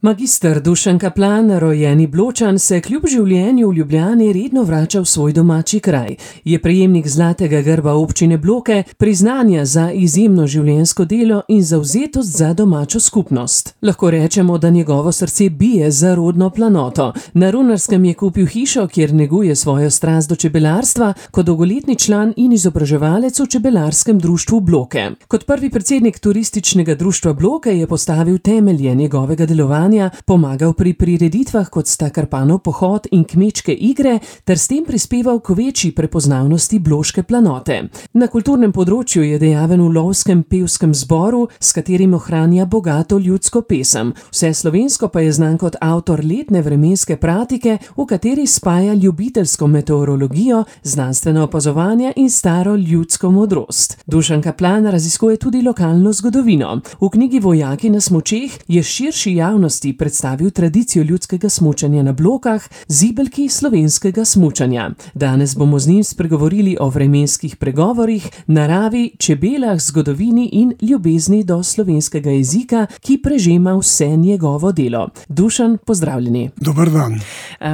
Magister Dušan Kaplan, rojeni Bločan, se kljub življenju v Ljubljani redno vrača v svoj domači kraj. Je prejemnik zlatega grba občine Bloke, priznanja za izjemno življenjsko delo in zavzetost za domačo skupnost. Lahko rečemo, da njegovo srce bije za rodno planoto. Na Runarskem je kupil hišo, kjer neguje svojo strast do čebelarstva, kot dolgoletni član in izobraževalec v čebelarskem društvu Bloke. Kot prvi predsednik turističnega društva Bloke je postavil temelje njegovega delovanja, pomagal pri prireditvah, kot sta Karpanov pohod in kmečke igre, ter s tem prispeval k večji prepoznavnosti bloške planote. Na kulturnem področju je dejaven v lovskem pevskem zboru, s katerim ohranja bogato ljudsko pesem. Vse slovensko pa je znan kot avtor letne vremenske pratike, v kateri spaja ljubiteljsko meteorologijo, znanstveno opazovanje in staro ljudsko modrost. Dušan Kaplan raziskuje tudi lokalno zgodovino. V knjigi Vojaki na smučeh je širši javnosti predstavil tradicijo ljudskega smučanja na Blokah, zibelki slovenskega smučanja. Danes bomo z njim spregovorili o vremenskih pregovorih, naravi, čebelah, zgodovini in ljubezni do slovenskega jezika, ki prežema vse njegovo delo. Dušan, pozdravljeni. Dober dan.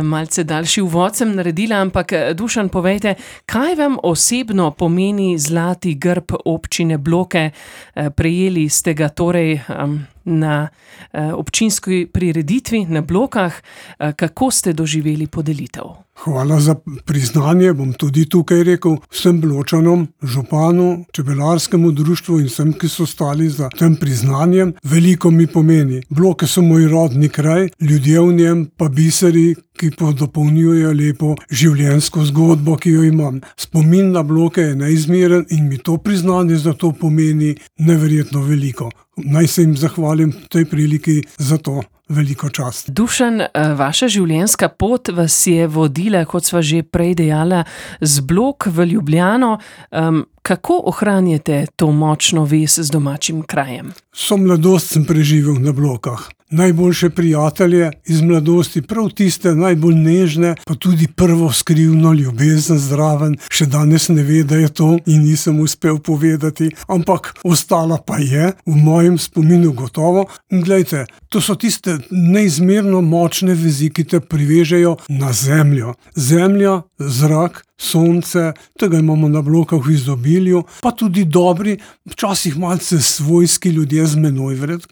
Malce daljši uvod sem naredila, ampak Dušan, povejte, kaj vam osebno pomeni zlati grb občine Bloke? Prejeli ste ga torej na občinski prireditvi na Blokah. Kako ste doživeli podelitev? Hvala za priznanje, bom tudi tukaj rekel vsem Bločanom, županu, čebelarskemu društvu in vsem, ki so stali za tem priznanjem. Veliko mi pomeni. Bloke so moj rodni kraj, ljudje v njem pa biseri, ki dopolnjujejo lepo življenjsko zgodbo, ki jo imam. Spomin na Bloke je neizmeren in mi to priznanje za to pomeni neverjetno veliko. Naj se jim zahvalim v tej priliki za to. Veliko čast. Dušan, vaša življenjska pot vas je vodila, kot sva že prej dejala, z Blok v Ljubljano. Kako ohranjate to močno vez z domačim krajem? Vso mladost sem preživel na Blokah. Najboljše prijatelje iz mladosti, prav tiste najbolj nežne, pa tudi prvo skrivno ljubezen zraven. Še danes ne ve, da je to in nisem uspel povedati, ampak ostala pa je v mojem spominu gotovo. In glejte, to so tiste neizmerno močne vezi, ki te privežejo na zemljo. Zemlja, zrak, sonce, tega imamo na Blokah v izobilju, pa tudi dobri, včasih malce svojski ljudje z menoj vred,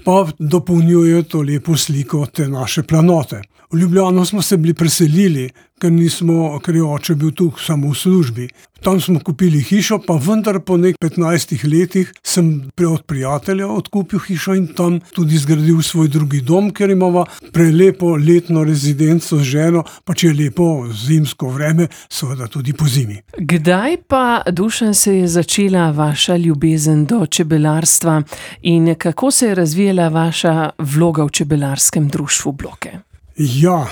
pa dopolnjujejo to lepo sliko te naše planote. V Ljubljano smo se bili preselili, ker je oče bil tu samo v službi. Tam smo kupili hišo, pa vendar po 15 letih sem od prijatelja odkupil hišo in tam tudi zgradil svoj drugi dom, ker imamo prelepo letno rezidenco z ženo, pa če je lepo zimsko vreme, seveda tudi po zimi. Kdaj pa, Dušan, se je začela vaša ljubezen do čebelarstva in kako se je razvijala vaša vloga v čebelarskem društvu Bloke? Ja,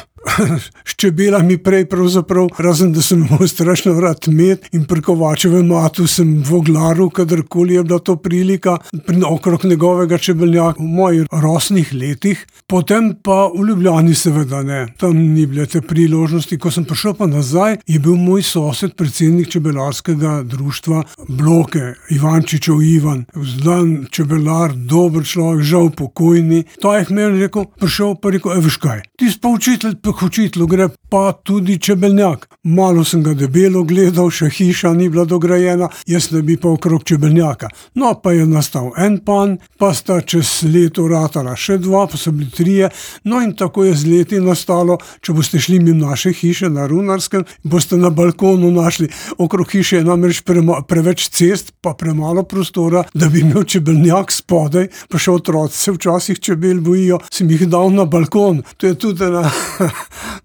s čebelami prej pravzaprav, razen da sem imel strašno rad med in pri Kovačevem matu sem voglaril, kadarkoli je bila to prilika, okrog njegovega čebelnjaka v mojih rosnih letih. Potem pa v Ljubljani seveda ne. Tam ni bile te priložnosti. Ko sem prišel pa nazaj, je bil moj sosed, predsednik čebelarskega društva Bloke, Ivančičev Ivan. Znan čebelar, dober človek, žal pokojni. Ta je meni prišel pa rekel, veš kaj, ti si pa učitelj, k učitelju gre pa tudi čebelnjak. Malo sem ga debelo gledal, še hiša ni bila dograjena, jaz ne bi pa okrog čebelnjaka. No, pa je nastal en pan, pa sta čez leto ratala še dva, pa so bili trije, no in tako je z leti nastalo, če boste šli mimo naše hiše na Runarskem, boste na balkonu našli, okrog hiše je namreč preveč cest, pa premalo prostora, da bi imel čebelnjak spodaj, pa še otroci se včasih čebel bojijo, sem jih dal na balkon. To je tudi ena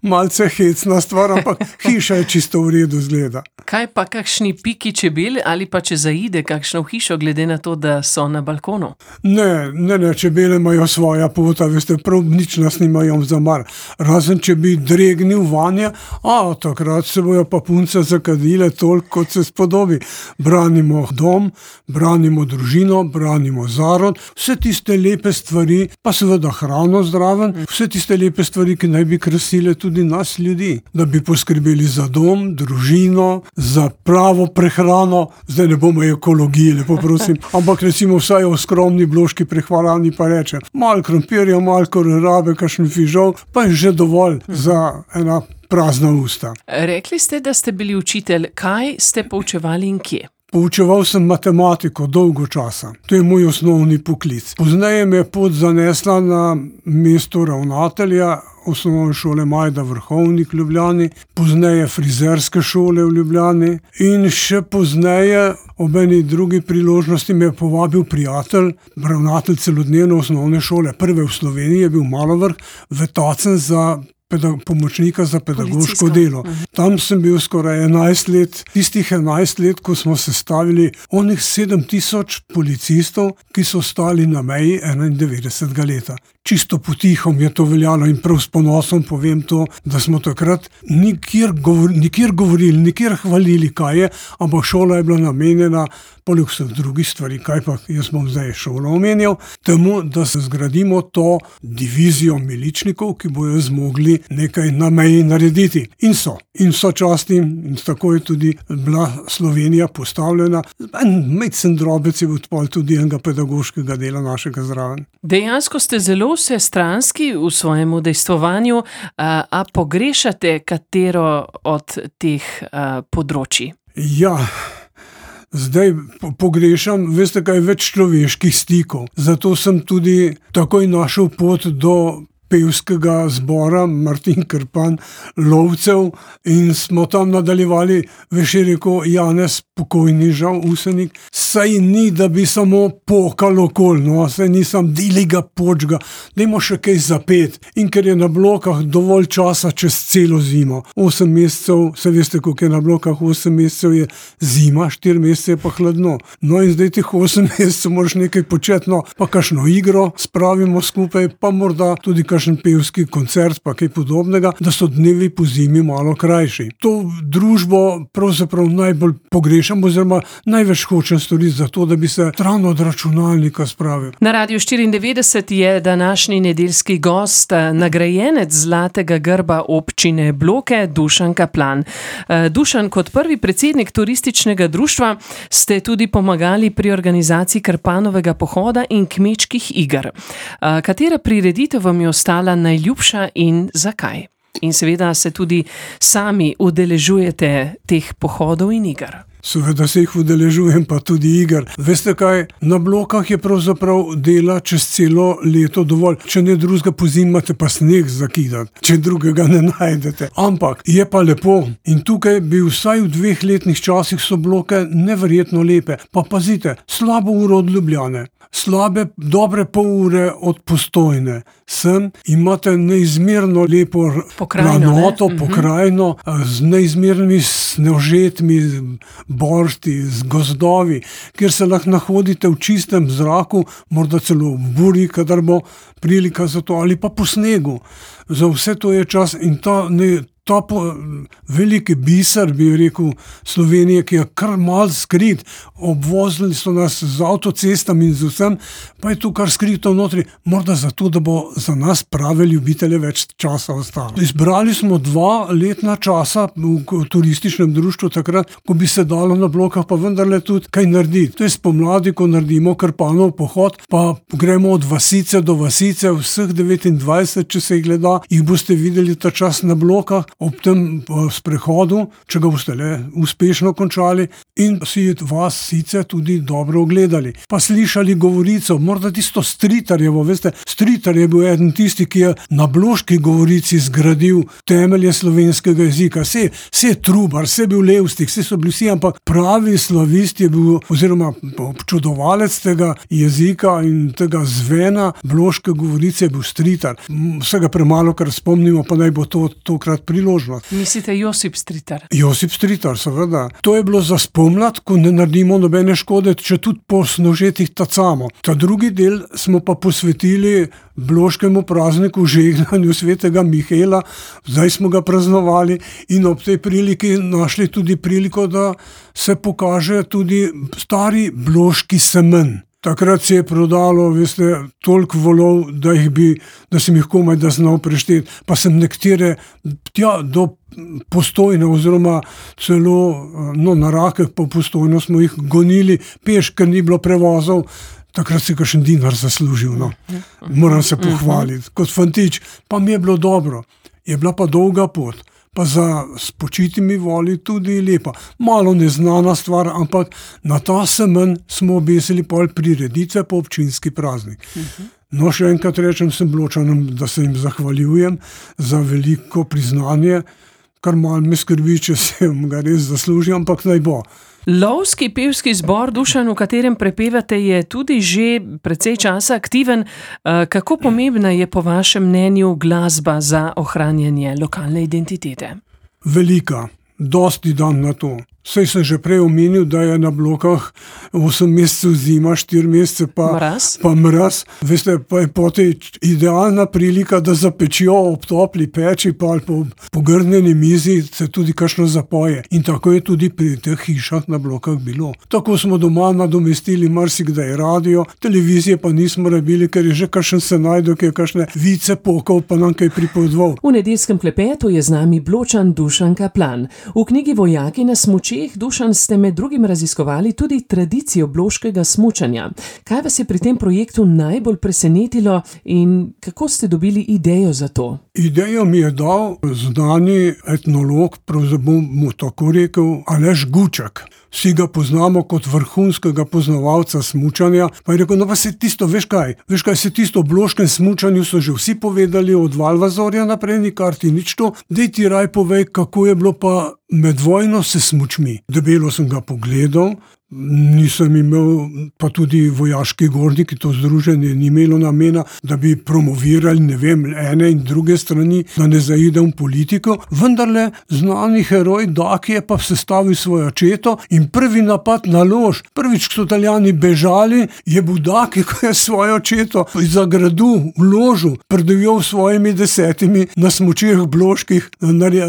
malce hecna stvar, ampak hiša je čisto v redu zgleda. Kaj pa kakšni piki čebel ali pa če zaide kakšno v hišo, glede na to, da so na balkonu? Ne, čebele imajo svoja pota, veste, prav nič nas nimajo za mar. Razen če bi dregnil vanje, takrat se bojo pa punce zakadile toliko, kot se spodobi. Branimo dom, branimo družino, branimo zarod, vse tiste lepe stvari, pa seveda hrano zraven, vse tiste lepe stvari, ki naj bi krasile tudi nas ljudi, da bi poskrbeli za dom, družino, za pravo prehrano. Zdaj ne bomo ekologiji, lepo prosim, ampak recimo vsaj o skromni bloški prehrani pa reče, malo krompirja, malo kolerave, kakšen fižol, pa je že dovolj za ena prazna usta. Rekli ste, da ste bili učitelj. Kaj ste poučevali in kje? Poučeval sem matematiko dolgo časa. To je moj osnovni poklic. Pozneje me je pot zanesla na mesto ravnatelja osnovne šole Majda Vrhovnik v Ljubljani, pozneje frizerske šole v Ljubljani in še pozneje ob eni drugi priložnosti me je povabil prijatelj, ravnatelj celodnevne osnovne šole, prve v Sloveniji je bil Malovrh, vetacen za pomočnika za pedagoško delo. Tam sem bil skoraj 11 let, tistih 11 let, ko smo sestavili onih 7000 policistov, ki so stali na meji 91. leta. Čisto potihom je to veljalo in prav s ponosom povem to, da smo takrat nikjer govorili, nikjer hvalili, kaj je, ampak šola je bila namenjena poleg vseh drugih stvari, kaj pa jaz bom zdaj šolo omenjal, temu, da se zgradimo to divizijo miličnikov, ki bojo zmogli nekaj na meji narediti. In so časti, in tako je tudi bila Slovenija postavljena. En majcen drobec je bil tudi enega pedagoškega dela našega zraven. Dejansko ste zelo vsestranski v svojem udejstvovanju, a pogrešate katero od teh področij? Ja, zdaj pogrešam, veste kaj, več človeških stikov. Zato sem tudi takoj našel pot do pevskega zbora Martin Krpan Lovcev in smo tam nadaljevali, veš je rekel Janez, pokojni žal Usenik, saj ni, da bi samo pokal okol, no, saj nisem diliga počga, dajmo še kaj zapet. In ker je na blokah dovolj časa čez celo zimo, 8 mesecev, se veste, koliko je na blokah, 8 mesecev je zima, 4 mesece je pa hladno. No in zdaj teh 8 mesecev moraš nekaj početi, no, pa kakšno igro spravimo skupaj, pa morda tudi kakšen pevski koncert, pa kaj podobnega, da so dnevi po zimi malo krajši. To družbo pravzaprav najbolj pogrešam, oziroma največ hočem storiti za to, da bi se stran od računalnika spravil. Na Radiu 94 je današnji nedeljski gost, nagrajenec Zlatega grba občine Bloke, Dušan Kaplan. Dušan, kot prvi predsednik turističnega društva ste tudi pomagali pri organizaciji Krpanovega pohoda in kmečkih iger. Katera prireditev vam je ostala najljubša in zakaj? In seveda se tudi sami udeležujete teh pohodov in iger. Seveda se jih udeležujem, pa tudi iger. Veste kaj, na blokah je pravzaprav dela čez celo leto dovolj. Če ne drugega pozimi, imate pa sneg zakidati, če drugega ne najdete. Ampak je pa lepo in tukaj bi vsaj v 2 letnih časih so bloke neverjetno lepe. Pa pazite, slabo uro od Ljubljane, dobre pol ure od Postojne. Sem imate neizmerno lepo planoto, pokrajino, z neizmernimi snežetmi, boršti, z gozdovi, kjer se lahko nahodite v čistem zraku, morda celo v buri, kadar bo prilika za to, ali pa po snegu. Za vse to je čas in ta veliki biser, bi rekel, Slovenije, ki je kar malo skrit, obvozili so nas z avtocestami in z vsem, pa je tu kar skrito notri, morda zato, da bo za nas prave ljubitelje več časa ostalo. Izbrali smo 2 letna časa v turističnem društvu takrat, ko bi se dalo na blokah pa vendarle tudi kaj narediti. To je spomladi, ko naredimo Krpanov pohod, pa gremo od vasice do vasice, vseh 29, če se jih gleda, jih boste videli ta čas na blokah, ob tem sprehodu, če ga boste le uspešno končali in si vasice tudi dobro ogledali. Pa slišali govorico, morda tisto Stritarjevo, veste, Stritar je bil eden tisti, ki je na bloški govorici zgradil temelje slovenskega jezika. Se je Trubar, se je bil Levstik, se so bili vsi, ampak pravi slavist je bil, oziroma občudovalec tega jezika in tega zvena bloške govorice je bil Stritar. Vsega premalo, kar spomnimo, pa naj bo to tokrat priložnost. Mislite Josip Stritar? Josip Stritar, seveda. To je bilo za spomlad, ko ne naredimo nobene škode, če tudi po snožetih tacamo. Ta drugi del smo pa posvetili bloškemu prazniku žegnanju svetega Mihaela. Zdaj smo ga praznovali in ob tej priliki našli tudi priliko, da se pokaže tudi stari bloški semen. Takrat se je prodalo, veste, toliko volov, da sem jih komaj da znal prešteti. Pa sem nekatere do Postojne oziroma celo na Rakeh po Postojno smo jih gonili peš, ker ni bilo prevozov. Takrat si kakšen dinar zaslužil, no. Moram se pohvaliti. Kot fantič, pa mi je bilo dobro. Je bila pa dolga pot. Pa za spočitimi voli tudi lepa. Malo neznana stvar, ampak na ta semen smo obesili pol prireditve po občinski praznik. No, še enkrat rečem sem Bločanom, da se jim zahvaljujem za veliko priznanje, kar malo me skrbi, če se ga res zasluži, ampak naj bo. Lovski pevski zbor Dušan, v katerem prepevate, je tudi že precej časa aktiven. Kako pomembna je po vašem mnenju glasba za ohranjanje lokalne identitete? Velika. Dosti dam na to. Saj sem že prej omenil, da je na Blokah 8 mesecev zima, 4 mesece pa mraz. Veste, pa je potem idealna prilika, da zapečijo ob topli peči pa ali po pogrnjeni mizi se tudi kakšno zapoje. In tako je tudi pri teh hišah na Blokah bilo. Tako smo doma nadomestili marsikdaj radio, televizije pa nismo rabili, ker je že kakšen se najde, ki je kakšne vice pokal pa nam kaj pripovedoval. V nedeljskem klepetu je z nami Bločan Dušan Kaplan. V knjigi Vojaki na smučeh, Dušan, ste med drugim raziskovali tudi tradicijo bloškega smučanja. Kaj vas je pri tem projektu najbolj presenetilo in kako ste dobili idejo za to? Idejo mi je dal znani etnolog, pravzaprav bom mu tako rekel, Aleš Guček. Vsi ga poznamo kot vrhunskega poznavalca smučanja. Pa je rekel, no pa se tisto, veš kaj, se tisto o bloškem smučanju so že vsi povedali od Valvazorja naprej, nikar ti nič to. Dej ti raj povej, kako je bilo pa med vojno se smučmi. Debelo sem ga pogledal, nisem imel, pa tudi vojaški gorniki, to združenje ni imelo namena, da bi promovirali, ne vem, ene in druge strani, da ne zaidem v politiko. Vendarle znani heroj Daki je pa sestavil svojo četo in prvi napad na Lož. Prvič, ko so Italijani bežali, je bil Daki, ko je svojo četo za gradu v Ložu predivjal svojimi 10 na smučeh bloških,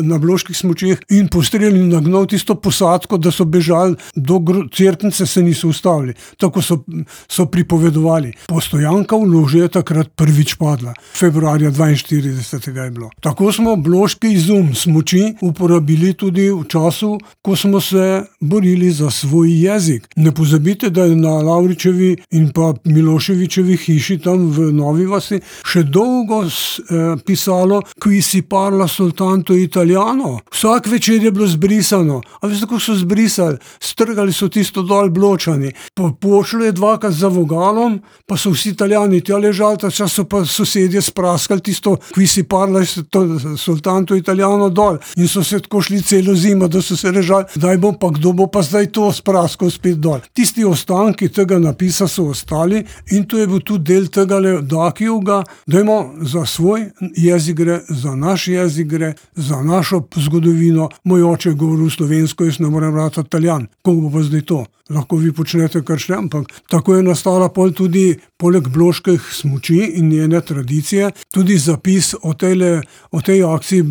na bloških smučeh in postrelil in nagnal tisto posadko, da so bežali do Cerknice, se niso ustavili. Tako so pripovedovali. Postojanka v Loži je takrat prvič padla. Februarja 42. je bilo. Tako smo bloški izum smuči uporabili tudi v času, ko smo se borili za svoj jezik. Ne pozabite, da je na Lavričevi in pa Miloševičevi hiši tam v Novi vasi še dolgo pisalo Qui si parla soltanto italiano. Vsak večer je bilo zbrisano. A veste, kako so zbrisali? Strgali so tisto dol Bločani. Pošlo je dvakrat za vogalom, pa so vsi Italijani tja ležali, ta čas so pa sosedje spraskali tisto Qui si parla soltanto italiano dol. In so se tako šli celo zimo, da so se ležali, kdo bo pa zdaj to spraskal spet dol. Tisti ostanki tega napisa so ostali in to je bil tudi del tega Dakijevga, dajmo za svoj jezik gre, za naš jezik gre, za našo zgodovino. Moj oče je govoril slovensko, jaz ne morem brati Italijan. Kako bo pa zdaj to? Lahko vi počnete kar še, ampak tako je nastala pol tudi poleg bloških smuči in njene tradicije, tudi zapis o tej akciji,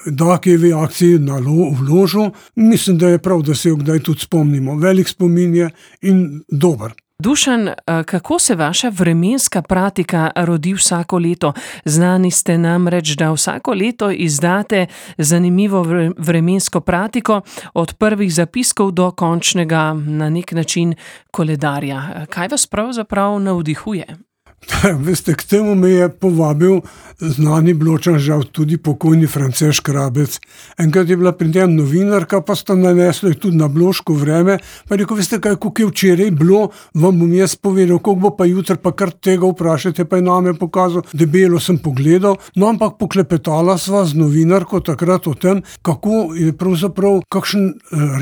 Dakijevi akciji v Ložu. Mislim, da je prav, da se jo kdaj tudi spomnimo. Velik spomin je in dober. Dušan, kako se vaša vremenska pratika rodi vsako leto? Znani ste namreč, da vsako leto izdate zanimivo vremensko pratiko, od prvih zapiskov do končnega, na nek način, koledarja. Kaj vas pravzaprav navdihuje? Veste, k temu me je povabil znani Bločan, žal tudi pokojni Franceš Rabec. Enkrat je bila pri tem novinarka, pa sta nanesla tudi na bloško vreme, pa je rekel, veste kaj, koliko je včeraj bilo, vam bom jaz povedal, koliko bo pa jutri, pa kar tega vprašajte, pa je name pokazal, debelo sem pogledal, no ampak poklepetala sva z novinarko takrat o tem, kako je pravzaprav kakšen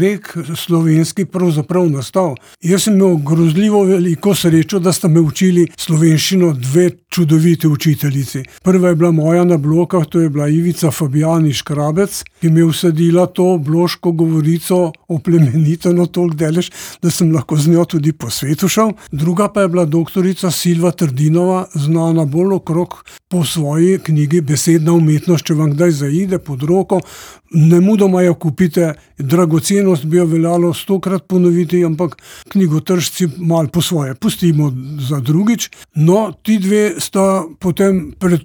rek slovenski pravzaprav nastal. Jaz sem imel grozljivo veliko srečo, da sta me učili slovenščino dve čudovite učiteljici. Prva Prva je bila moja na Blokah, to je bila Ivica Fabijani Škrabec, ki mi je vsadila to bloško govorico oplemeniteno toliko delež, da sem lahko z njo tudi po svetu šel. Druga pa je bila doktorica Silva Trdinova, znana bolj okrog po svoji knjigi Besedna umetnost, če vam kdaj zaide pod roko. Nemudoma jo kupite, dragocenost bi jo veljalo 100-krat ponoviti, ampak knjigotržci malo po svoje pustimo za drugič. No, ti dve sta potem pri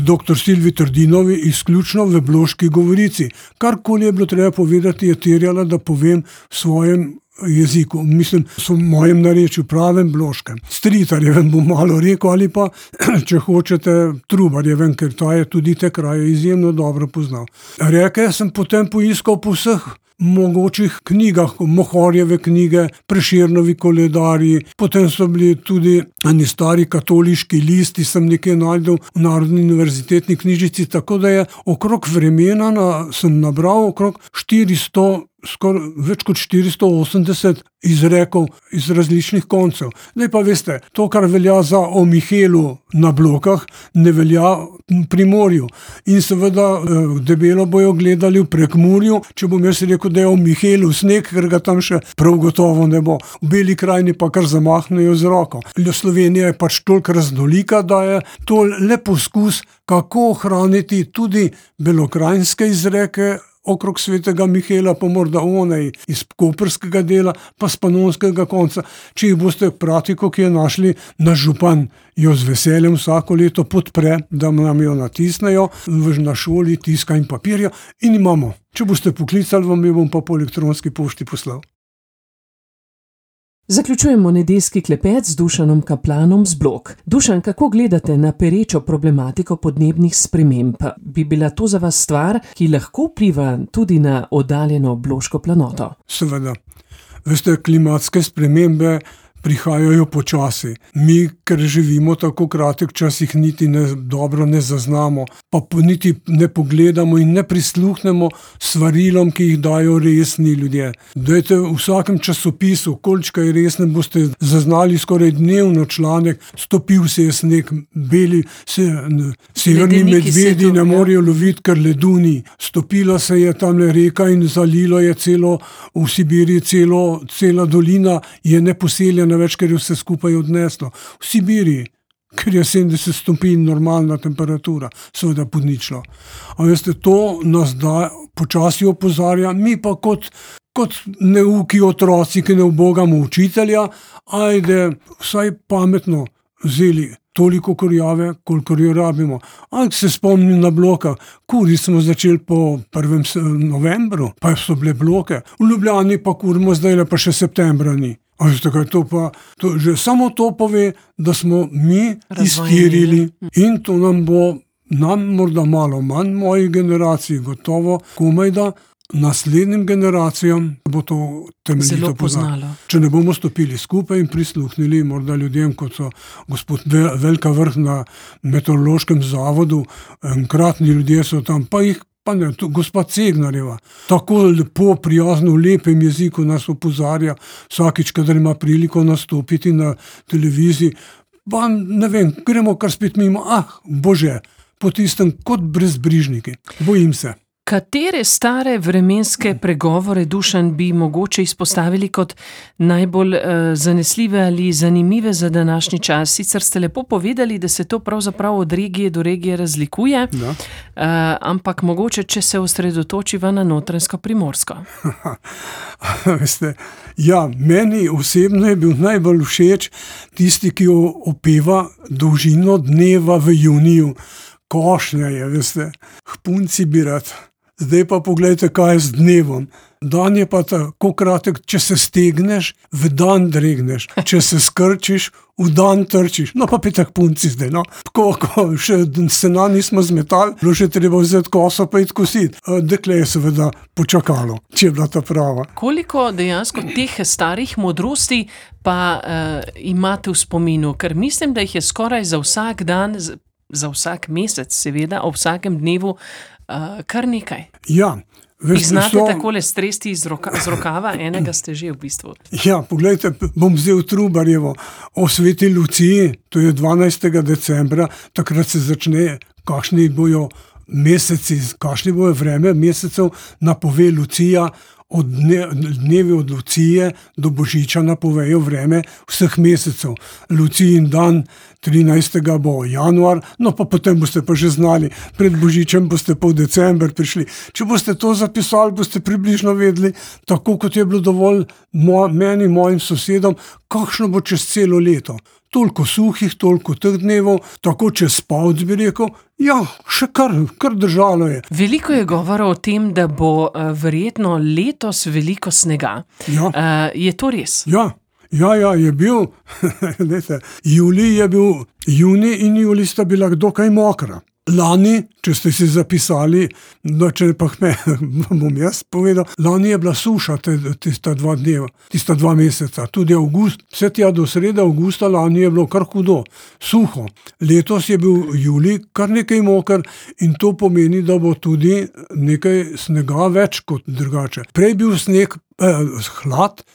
dr. Silvi Trdinovi izključno v bloški govorici. Karkoli je bilo treba povedati, je terjala, da povem v svojem jeziku, mislim, v mojem narečju, pravem bloškem. Stritarjevem bom malo rekel, ali pa, če hočete, Trubarjevem, ker ta je tudi te kraje izjemno dobro poznal. Reke sem potem poiskal po vseh mogočih knjigah, Mohorjeve knjige, Prešernovi koledarji, potem so bili tudi eni stari katoliški listi, sem nekaj najdel v Narodni univerzitetni knjižnici, tako da je okrog vremena sem nabral okrog 400, skoraj več kot 480 izrekov iz različnih koncev. Zdaj pa veste, to, kar velja za o Mihelu na Blokah, ne velja pri morju. In seveda debelo bojo gledali v Prekmurju, če bom jaz rekel, da je o Mihelu sneg, ker ga tam še prav gotovo ne bo. V Beli krajini pa kar zamahnejo z roko. Slovenija je pač toliko raznolika, da je to le poskus, kako ohraniti tudi belokrajinske izreke okrog svetega Mihela, pa morda onej iz koprskega dela, pa s panonskega konca. Če jih boste pratiko, ki je našli, naš župan jo z veseljem vsako leto podpre, da nam jo natisnejo, na šoli tiska in papirja in imamo. Če boste poklicali, vam jo bom pa po elektronski pošti poslal. Zaključujemo nedeljski klepet z Dušanom Kaplanom z Blok. Dušan, kako gledate na perečo problematiko podnebnih sprememb? Bi bila to za vas stvar, ki lahko vpliva tudi na oddaljeno bloško planoto? Seveda. Veste, klimatske spremembe prihajajo počasi. Mi, ker živimo tako kratek čas, jih niti dobro ne zaznamo, pa niti ne pogledamo in ne prisluhnemo svarilom, ki jih dajo resni ljudje. Dajte v vsakem časopisu, koliko je resne, boste zaznali skoraj dnevno članek, stopil se je sneg, severni medvedi ne morejo loviti, ker ledu ni. Stopila se je tamle reka in zalilo je v Sibiriji cela dolina je neposeljena več, ker je vse skupaj odneslo. V Sibiriji, ker je 70 stopinj normalna temperatura, seveda pod ničlo. A veste, to nas počasi opozarja, mi pa kot neuki otroci, ki ne ubogamo učitelja, ajde vsaj pametno vzeli toliko kurjave, kolikor jo rabimo. Ampak se spomnim na Blokah, kuriti smo začeli po 1. novembru, pa so bile Bloke. V Ljubljani pa kurimo zdaj, pa še septembra ni. Že samo to pove, da smo mi iztirili in to nam morda malo manj, moji generaciji gotovo, komaj da naslednjim generacijam bo to temeljito poznalo. Če ne bomo stopili skupaj in prisluhnili morda ljudem, kot so gospod Velika Vrh na meteorološkem zavodu, enkratni ljudje so tam, pa jih pa ne, gospa Cegnarjeva, tako lepo, prijazno, v lepem jeziku nas opozarja vsakič, kadar ima priliko nastopiti na televiziji. Pa ne vem, gremo kar spet mimo, bože, po tistem kot brezbrižniki. Bojim se. Katere stare vremenske pregovore, Dušan, bi mogoče izpostavili kot najbolj zanesljive ali zanimive za današnji čas? Sicer ste lepo povedali, da se to pravzaprav od regije do regije razlikuje, ampak mogoče, če se osredotočiva na Notranjsko-Primorsko. Veste, meni osebno je bil najbolj všeč tisti, ki opeva dolžino dneva v juniju. Košnja je, veste, hpunci bi rad. Zdaj pa pogledajte, kaj je z dnevom. Dan je pa tako kratek, če se stegneš, v dan dregneš. Če se skrčiš, v dan trčiš. No pa petek punci zdaj, no. Ko še sena nismo zmetali, bilo še treba vzeti koso pa iti kositi. Dekle je seveda počakalo, če je bila ta prava. Koliko dejansko teh starih modrosti pa imate v spominu? Ker mislim, da jih je skoraj za vsak dan za vsak mesec, seveda, ob vsakem dnevu, kar nekaj. Ja. Jih znate takole stresti z rokava, enega ste že v bistvu. Ja, poglejte, bom vzel Trubarjevo o Sveti Luciji, to je 12. decembra, takrat se začne, kakšni bojo meseci, kakšni bojo vreme mesecev, napove Lucija, od dnevi od Lucije do Božiča napovejo vreme vseh mesecev. Lucijin dan 13. bo januar, no pa potem boste pa že znali, pred Božičem boste pa v december prišli. Če boste to zapisali, boste približno vedeli, tako kot je bilo dovolj meni, mojim sosedom, kakšno bo čez celo leto. Toliko suhih, toliko teh dnevov, tako čez spavc bi rekel, ja, še kar držalo je. Veliko je govora o tem, da bo verjetno letos veliko snega. Ja. Je to res? Ja, je bil, junij in julij sta bila dokaj mokra. Lani, če ste si zapisali, no, če pa bom jaz povedal, lani je bila suša tista 2 dneva, tista 2 meseca, tudi avgust, vse tja do srede avgusta lani je bilo kar hudo, suho. Letos je bil julij kar nekaj moker in to pomeni, da bo tudi nekaj snega več kot drugače. Prej bil sneg, hlad,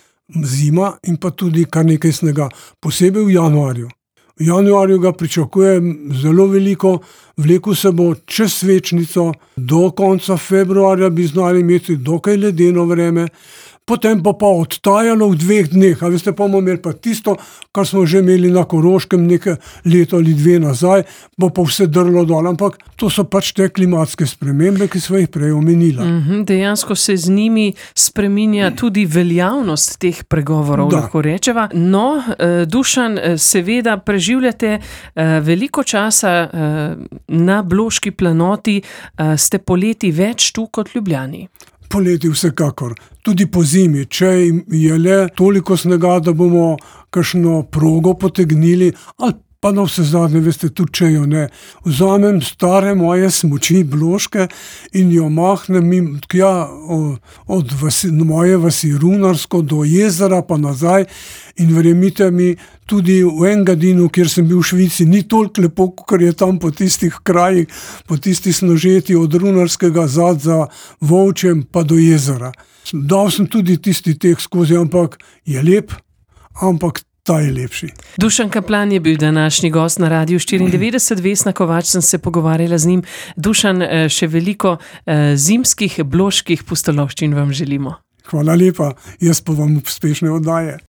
zima in pa tudi kar nekaj snega, posebej v januarju. V januarju ga pričakujem zelo veliko, vlekel se bo čez svečnico, do konca februarja bi znali imeti dokaj ledeno vreme, potem pa odtajalo v 2 dneh, a veste, pa bomo imeli pa tisto, kar smo že imeli na Koroškem nekaj leto ali 2 nazaj, bo pa vse drlo dol, ampak to so pač te klimatske spremembe, ki sva jih prej omenila. Dejansko se z njimi spreminja tudi veljavnost teh pregovorov, lahko rečeva. No, Dušan, seveda preživljate veliko časa na Bloški planoti, ste poleti več tu kot v Ljubljani. Poleti vsekakor, tudi po zimi, če je le toliko snega, da bomo kakšno progo potegnili, ali pa na vse zadnje, veste, tudi če jo ne. Vzamem stare moje smuči bloške in jo mahnem tja od moje vasi Runarsko do jezera pa nazaj in verjemite mi, tudi v Engadinu, kjer sem bil v Švici, ni toliko lepo, kot je tam po tistih krajih, po tistih snožeti od Runarskega za Volčem pa do jezera. Dal sem tudi tisti tek skozi, ampak je lep, ampak ta je lepši. Dušan Kaplan je bil današnji gost na Radiu 94, Vesna Kovač sem se pogovarjala z njim. Dušan, še veliko zimskih bloških pustolovščin vam želimo. Hvala lepa, jaz pa vam uspešne oddaje.